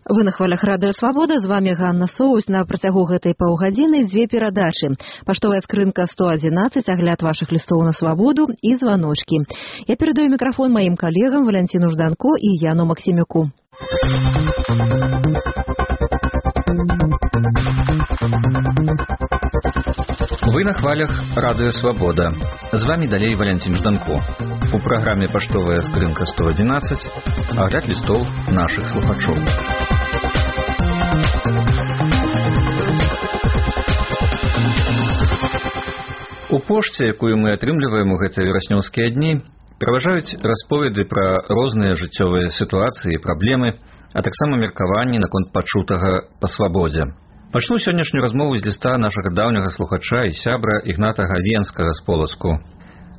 Вы на хвалях радыё Свабода, з вами Ганна Соусь. На працягу гэтай паўгадзіны дзве перадачы. Паштовая скрынка 111, агляд вашых лістоў на свабоду і званочкі. Я перадаю мікрафон маім калегам Валянціну Жданко і Яну Максімюку. Вы на хвалях радыё Свабода. З вами далей Валянцін Жданко. У праграме «Паштовая скрынка 111» агляд лістоў нашых слухачоў. У пошце, якую мы атрымліваем у гэтыя вераснёўскія дні, пераважаюць расповеды пра розныя жыццёвыя сітуацыі і праблемы, а таксама меркаванні наконт пачутага па свабодзе. Пачну сённяшнюю размову з ліста нашага даўняга слухача і сябра Ігната Гавенскага з Полацку.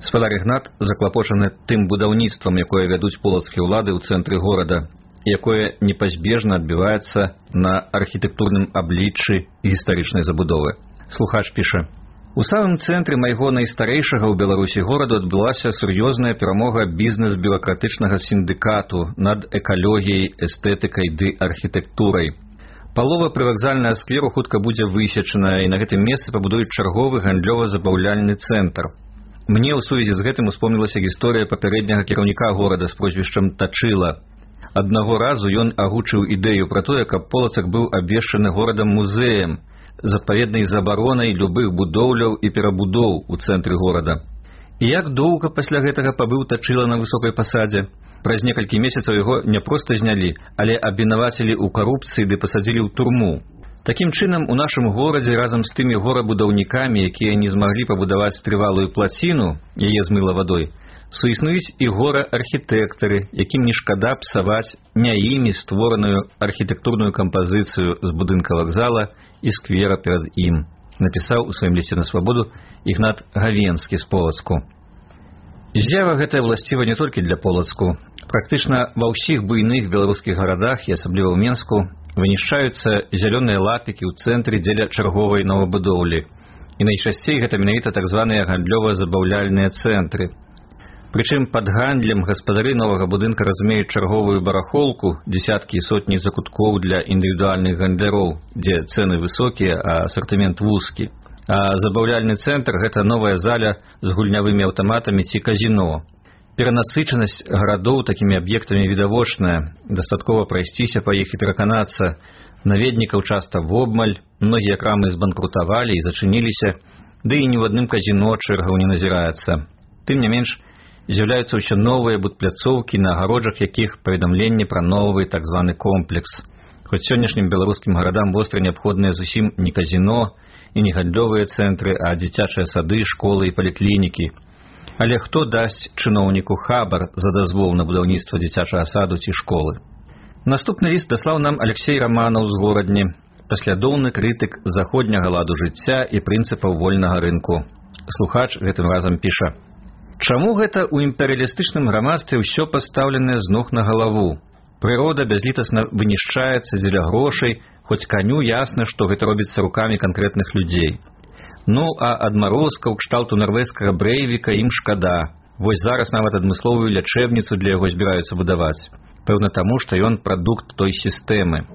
Спадар Ігнат заклапочаны тым будаўніцтвам, якое вядуць полацкія ўлады ў цэнтры горада, якое непазбежна адбіваецца на архітэктурным абліччы гістарычнай забудовы. Слухач піша: «У самым цэнтры майго найстарэйшага ў Беларусі гораду адбылася сур'ёзная перамога бізнес-бюракратычнага сіндыкату над экалогіяй, эстэтыкай ды архітэктурай. Палова прывакзальнага скверу хутка будзе высечаная, і на гэтым месцы пабудуюць чарговы гандлёва-забаўляльны цэнтр. Мне ў сувязі з гэтым успомнілася гісторыя папярэдняга кіраўніка горада з прозвішчам Тачыла. Аднаго разу ён агучыў ідэю пра тое, каб Полацак быў абвешчаны горадам-музеем з адпаведнай забаронай любых будоўляў і перабудоў у цэнтры горада. І як доўга пасля гэтага пабыў Тачыла на высокай пасадзе? Праз некалькі месяцаў яго не проста знялі, але абвінавацілі ў карупцыі ды пасадзілі ў турму. Такім чынам, у нашым горадзе разам з тымі горабудаўнікамі, якія не змаглі пабудаваць трывалую плаціну, яе змыла вадой, суіснуюць і гора-архітэктары, якім не шкада псаваць не імі створаную архітэктурную кампазіцыю з будынка вакзала і сквера перад ім, напісаў у сваім лісце на свабоду Ігнат Гавенскі з Полацку. З'ява гэтая власціва не толькі для Полацку. Практычна ва ўсіх буйных беларускіх гарадах, і асабліва ў Менску, вынішчаюцца зялёныя лапікі ў цэнтры дзеля чарговай новабудоўлі. І найчасцей гэта менавіта так званыя гандлёва-забаўляльныя цэнтры. Прычым пад гандлем гаспадары новага будынка разумеюць чарговую барахолку, дзесяткі і сотні закуткоў для індывідуальных гандляроў, дзе цэны высокія, а асартымент вузкі. А забаўляльны цэнтр – гэта новая заля з гульнявымі аўтаматамі ці казіно. Перанасычанасць гарадоў такімі аб'ектамі відавочная, дастаткова прайсціся па іх і пераканацца. Наведнікаў часта вобмаль, многія крамы збанкрутавалі і зачыніліся, ды і ні ў адным казіно чэргаў не назіраецца. Тым не менш, з'яўляюцца ўсё новыя будпляцоўкі, на агароджах якіх паведамленне пра новы так званы комплекс. Хоць сённяшнім беларускім гарадам востра неабходныя зусім не казіно і не гандлёвыя цэнтры, а дзіцячыя сады, школы і паліклінікі. Але хто дасць чыноўніку хабар за дазвол на будаўніцтва дзіцячага саду ці школы? Наступны ліст даслаў нам Алексей Романаў з Горадні, паслядоўны крытык заходняга ладу жыцця і прынцыпаў вольнага рынку. Слухач гэтым разам піша: «Чаму гэта ў імперыялістычным грамадстве ўсё пастаўленае з ног на галаву? Прырода бязлітасна вынішчаецца дзеля грошай, хоць каню ясна, што гэта робіцца рукамі канкрэтных людзей. Ну, а адмарозкаў кшталту нарвежскага Брэйвіка ім шкада. Вось зараз нават адмысловую лячэбніцу для яго збіраюцца будаваць. Пэўна таму, што ён прадукт той сістэмы.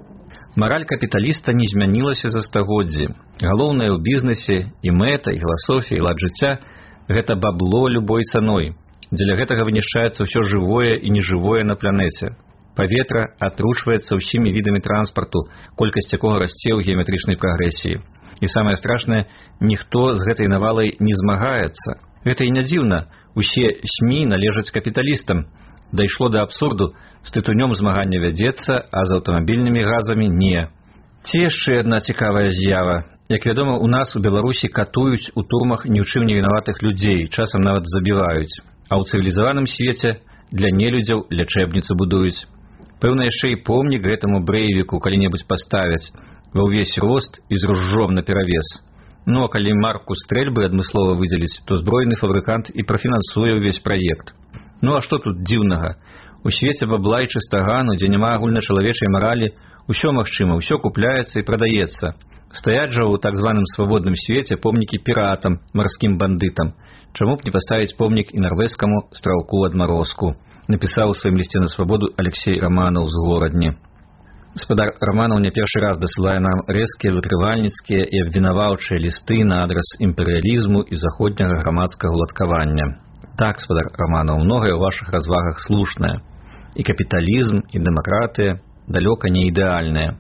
Мараль капіталіста не змянілася за стагоддзі. Галоўнае ў бізнесе і мэта, і філасофія, і лад жыцця – гэта бабло любой цаной. Дзеля гэтага вынішчаецца ўсё жывое і нежывое на планеце. Паветра атручваецца ўсімі відамі транспарту, колькасць якога расце ў геаметрычнай прагрэсіі. І самае страшнае, ніхто з гэтай навалай не змагаецца. Гэта і не дзіўна, усе СМІ належаць капіталістам. Дайшло да абсурду, з тытунём змагання вядзецца, а з аўтамабільнымі газамі не. Ці яшчэ адна цікавая з'ява. Як вядома, у нас у Беларусі катуюць у турмах ні ў чым не вінаватых людзей, часам нават забіваюць. А ў цывілізаваным свеце для нелюдзяў лячэбніцу будуюць. Пэўна, яшчэ і помнік гэтаму Брэйвіку калі-небудзь паставяць ва ўвесь рост і з ружжом наперавес. Ну, а калі марку стрэльбы адмыслова выдзеліць, то збройны фабрыкант і прафінансуе ўвесь праект. Ну, а што тут дзіўнага? У свеце бабла і чыстагану, дзе няма агульначалавечай маралі, усё магчыма, усё купляецца і прадаецца. Стаяць жа ў так званым свабодным свеце помнікі піратам, марскім бандытам. Чаму б не паставіць помнік і нарвежскаму стралку адмарозку? Напісаў у сваім лісце на свабоду Алексей Романаў з Горадні. Спадар Раманаў не першы раз дасылае нам рэзкія выкрывальніцкія і абвінаваўчыя лісты на адрас імперыялізму і заходняга грамадскага уладкавання. Так, спадар Раманаў, многае ў вашых развагах слушнае. І капіталізм, і дэмакратыя далёка не ідэальныя.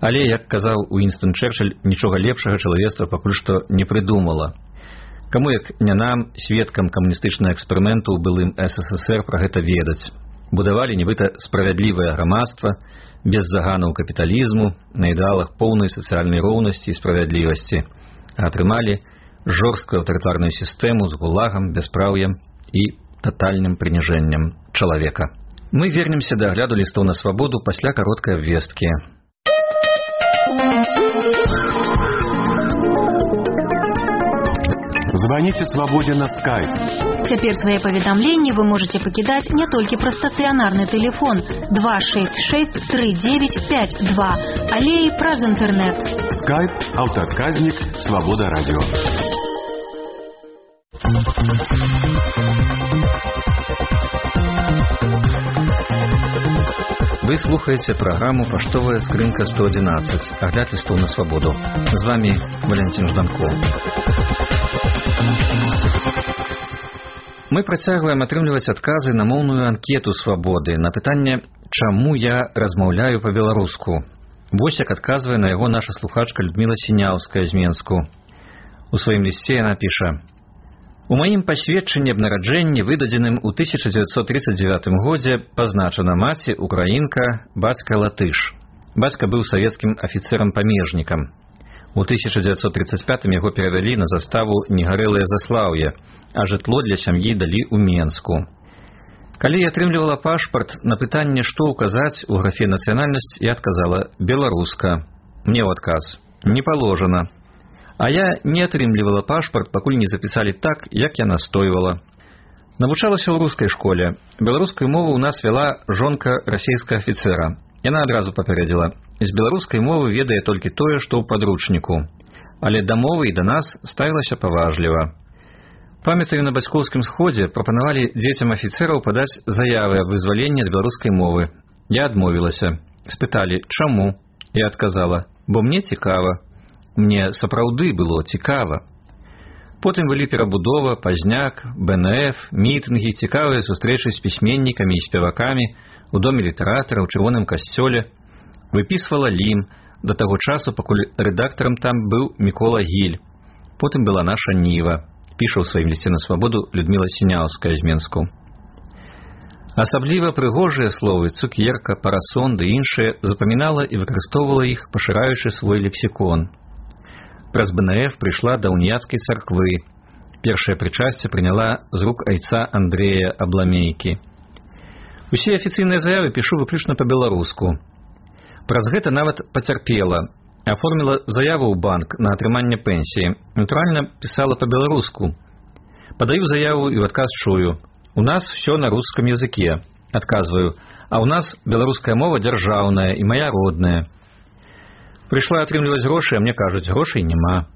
Але, як казаў Уінстон Чэрчыль, нічога лепшага чалавецтва пакуль што не прыдумала. Каму, як не нам, сведкам камуністычнага эксперыменту ў былым СССР, пра гэта ведаць. Будавалі нібыта справядлівае грамадства, без заганаў капіталізму, на ідэалах поўнай сацыяльнай роўнасці і справядлівасці, а атрымалі жорсткую аўтарытарную сістэму з гулагам, бяспраўем і татальным прыніжэннем чалавека. Мы вернемся да агляду лістоў на свабоду пасля кароткай абвесткі. Звоните «Свободе» на Skype. Цяпер свае паведамленні вы можете пакідаць не толькі праз стацыянарны тэлефон 266-3952, але і праз інтэрнэт. Skype, аўтаадказнік, Свобода радио. Вы слухаеце праграму «Паштовая скрынка 111», агляд лістоў на свабоду. З вами Валентин Жданков. Мы працягваем атрымліваць адказы на моўную анкету свабоды на пытанне «Чаму я размаўляю па-беларуску?». Вось як адказвае на яго наша слухачка Людмила Сіняўская з Менску. У сваім лісце яна піша: «У маім пасведчанні аб нараджэнні, выдадзеным у 1939 годзе, пазначана маці украінка, бацька латыш. Бацька быў савецкім афіцэрам-памежнікам. У 1935 яго перавялі на заставу Негарэлае Заслаўе, а жытло для сям'і далі ў Менску. Калі я атрымлівала пашпарт, на пытанне, што ўказаць у графе «Нацыянальнасць», я адказала «Беларуска». Мне ў адказ «Не паложана». А я не атрымлівала пашпарт, пакуль не запісалі так, як я настойвала. Навучалася ў рускай школе. Беларускую мову ў нас вяла жонка расійскага афіцэра. Яна адразу папярэдзіла: з беларускай мовы ведае толькі тое, што ў падручніку. Але да мовы і да нас ставілася паважліва. Памятаю, на бацькоўскім сходзе прапанавалі дзецям афіцэраў падаць заявы аб вызваленні ад беларускай мовы. Я адмовілася. Спыталі, чаму? Я адказала: бо мне цікава. Мне сапраўды было цікава. Потым былі перабудова, пазняк, БНФ, мітынгі, цікавыя сустрэчы з пісьменнікамі і спевакамі у доме літаратара, ў чырвоным касцёле. Выпісвала Лім, да таго часу, пакуль рэдактарам там быў Мікола Гіль. Потым была наша Ніва, піша ў сваім лісце на свабоду Людмила Сіняўская з Менску. Асабліва прыгожыя словы цукерка, парасон ды іншыя запамінала і выкарыстоўвала іх, пашыраючы свой лексікон. Праз БНФ прыйшла да уніяцкай царквы. Першае прычасце прыняла з рук айца Андрэя Абламейкі. Усе афіцыйныя заявы пішу выключна па-беларуску. Праз гэта нават пацярпела. Аформіла заяву ў банк на атрыманне пенсіі. Натуральна, пісала па-беларуску. Падаю заяву і ў адказ чую: у нас все на рускам языке. Адказваю: а ў нас беларуская мова дзяржаўная і моя родная. Прыйшла атрымліваць грошы, а мне кажуць, грошай няма.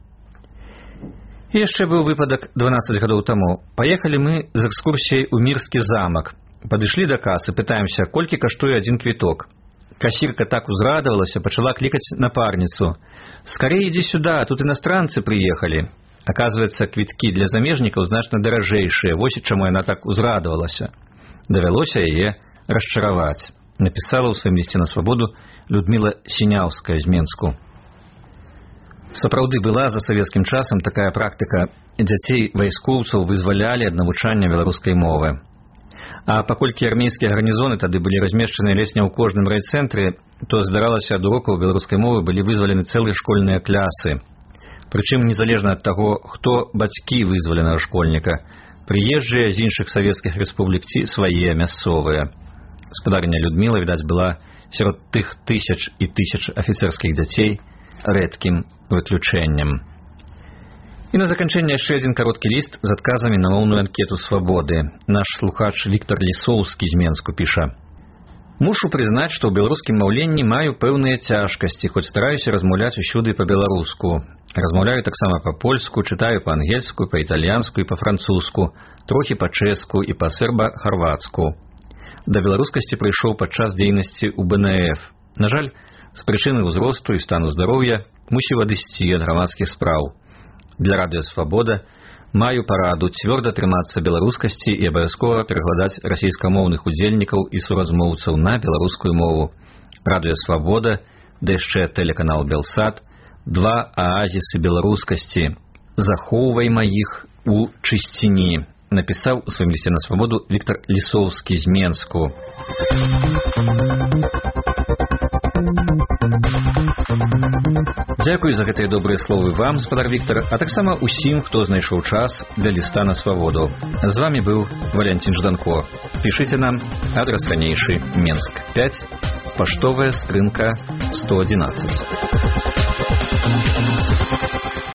І яшчэ быў выпадак 12 гадоў таму. Паехалі мы з экскурсіяй у Мірскі замак. Падышлі да касы, пытаемся, колькі каштуе адзін квіток. Касірка так узрадавалася, пачала клікаць напарніцу: «Скорей ідзі сюда, тут іностранцы прыехалі». Аказваецца, квіткі для замежнікаў значна даражэйшыя, вось чаму яна так узрадавалася. Давялося яе расчараваць. Напісала ў сваім лісце на свабоду Людмила Сіняўская з Менску. Сапраўды была за савецкім часам такая практыка. Дзяцей вайскоўцаў вызвалялі ад навучання беларускай мовы. А паколькі армейскія гарнізоны тады былі размешчаны ледзь не ў кожным райцэнтры, то здаралася, ад урокаў беларускай мовы былі вызвалены цэлыя школьныя клясы. Прычым незалежна ад таго, хто бацькі вызваленага школьніка, прыезджыя з іншых савецкіх рэспублік ці свае мясцовыя. Гаспадарыня Людмила, відаць, была сярод тых тысяч і тысяч афіцэрскіх дзяцей рэдкім выключэннем. І на заканчэнне яшчэ адзін кароткі ліст з адказамі на моўную анкету свабоды. Наш слухач Віктор Лісоўскі з Менску піша: «Мушу прызнаць, што ў беларускім маўленні маю пэўныя цяжкасці, хоць стараюся размаўляць усюды па-беларуску. Размаўляю таксама па-польску, чытаю па-ангельску, па-італьянску і па-французску, трохі па-чэску і па-серба-харвацку. Да беларускасці прыйшоў падчас дзейнасці ў БНФ. На жаль, з прычыны ўзросту і стану здароўя мусіў адысці ад грамадскіх спраў. Для радыё «Свабода» маю параду цвёрда трымацца беларускасці і абавязкова перакладаць расійскамоўных удзельнікаў і суразмоўцаў на беларускую мову. Радыё «Свабода», да яшчэ тэлеканал «Белсат» – два аазісы беларускасці. Захоўвайма іх у чысціні, напісаў у сваім лісце на «Свабоду» Віктор Лісоўскі з Менску. Дзякуй за гэтыя добрыя словы вам, гаспадар Віктар, а таксама ўсім, хто знайшоў час для ліста на «Свабоду». З вами быў Валянцін Жданко. Пішыце нам, адрас ранейшы, Менск 5, паштовая скрынка 111.